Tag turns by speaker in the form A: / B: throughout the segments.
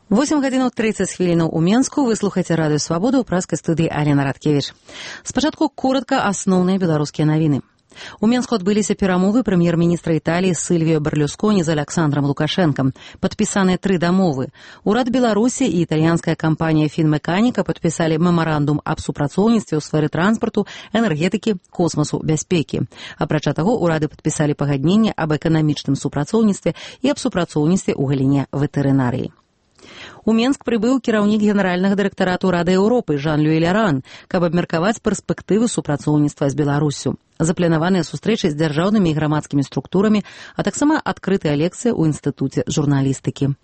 A: 8 гадзінаў 30 хвілінаў у Менску. Вы слухаеце радыё Свабода ў праскай студыі Алена Радкевіч. Спачатку коротка асноўныя беларускія навіны. У Менску адбыліся перамовы прэм'ер-міністра Італіі Сильвіо Берлюсконі з Александром Лукашэнкам. Падпісаныя 3 дамовы. Урад Беларусі і італьянская кампанія «Фінмеканіка» падпісалі мемарандум аб супрацоўніцтве ў сферы транспарту, энергетыкі, космасу, бяспекі. Апрача таго, урады падпісалі пагадненне аб эканамічным супрацоўніцтве і аб супрацоўніцтве ў галіне ветэрынарыі. У Менск прыбыў кіраўнік генеральнага дырэктарату Рады Еўропы Жан-Люі Ляран, каб абмеркаваць перспектывы супрацоўніцтва з Беларуссю. Запланаваныя сустрэчы з дзяржаўнымі і грамадскімі структурамі, а таксама адкрытая лекцыя ў інстытуце журналістыкі.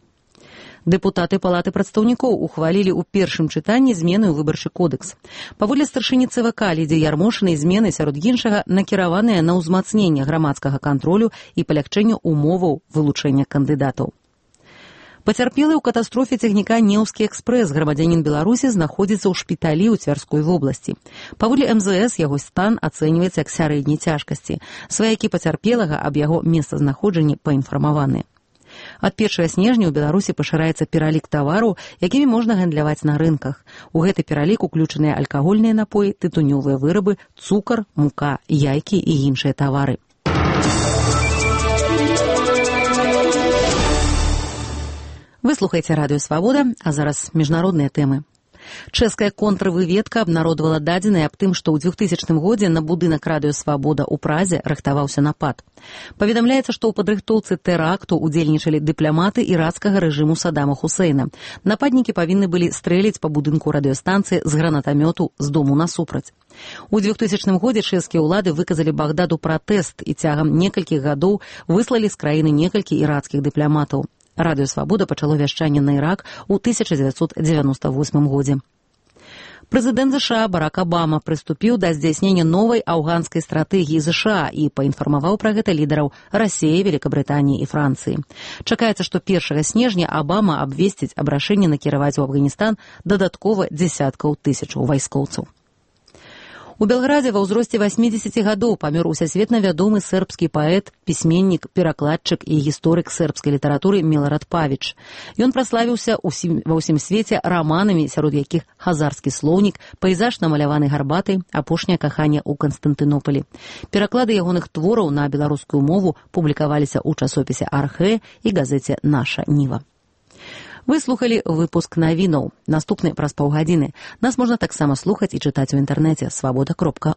A: Дэпутаты Палаты прадстаўнікоў ухвалілі ў першым чытанні змены ў выбарчы кодэкс. Паводле старшыні ЦВК Лідзіі Ярмошынай змены, сярод іншага, накіраваныя на ўзмацненне грамадскага кантролю і палягчэнне умоваў вылучэння кандыдатаў. Пацярпелы ў катастрофе цягніка «Неўскі экспрэс» грамадзянін Беларусі знаходзіцца ў шпіталі ў Цвярской вобласці. Паводле МЗС яго стан ацэньваецца як сярэдняй цяжкасці. Сваякі пацярпелага аб яго месцазнаходжанні паінфармаваны. Ад 1 снежня ў Беларусі пашыраецца пералік тавараў, якімі можна гандляваць на рынках. У гэты пералік уключаныя алкагольныя напоі, тытунёвыя вырабы, цукар, мука, яйкі і іншыя тавары. Вы слухаеце радыё Свабода, а зараз міжнародныя тэмы. Чэшская контрвыведка абнародавала дадзеныя аб тым, што ў 2000 годзе на будынак радыё Свабода ў Празе рыхтаваўся напад. Паведамляецца, што ў падрыхтоўцы тэракту удзельнічалі дыпламаты ірацкага рэжыму Саддама Хусейна. Нападнікі павінны былі стрэліць па будынку радыёстанцыі з гранатамёту з дому насупраць. У 2000 годзе чэшскія ўлады выказалі Багдаду пратэст і цягам некалькіх гадоў выслалі з краіны некалькі ірацкіх дыпламатаў. Радыё Свабода пачало вяшчанне на Ірак у 1998 годзе. Прэзідэнт США Барак Абама прыступіў да здзяйснення новай афганскай стратэгіі США і паінфармаваў пра гэта лідараў Расіі, Великабрытаніі і Францыі. Чакаецца, што 1 снежня Абама абвесціць аб рашэнні накіраваць у Афганістан дадаткова дзясяткаў тысячаў вайскоўцаў. У Белградзе ва ўзросце 80 гадоў памёр усесветна вядомы сербскі паэт, пісьменнік, перакладчык і гісторык сербскай літаратуры Милорад Павіч. Ён праславіўся ва ўсім свеце раманамі, сярод якіх «Хазарскі слоўнік», «Пейзаж намаляваны гарбатай», «Апошняе каханне ў Канстантынополі». Пераклады ягоных твораў на беларускую мову публікаваліся ў часопісе «Архэ» і газеце «Наша Ніва». Вы слухалі выпуск навінаў. Наступны праз паўгадзіны. Нас можна таксама слухаць і чытаць у інтэрнэце свабода.орг.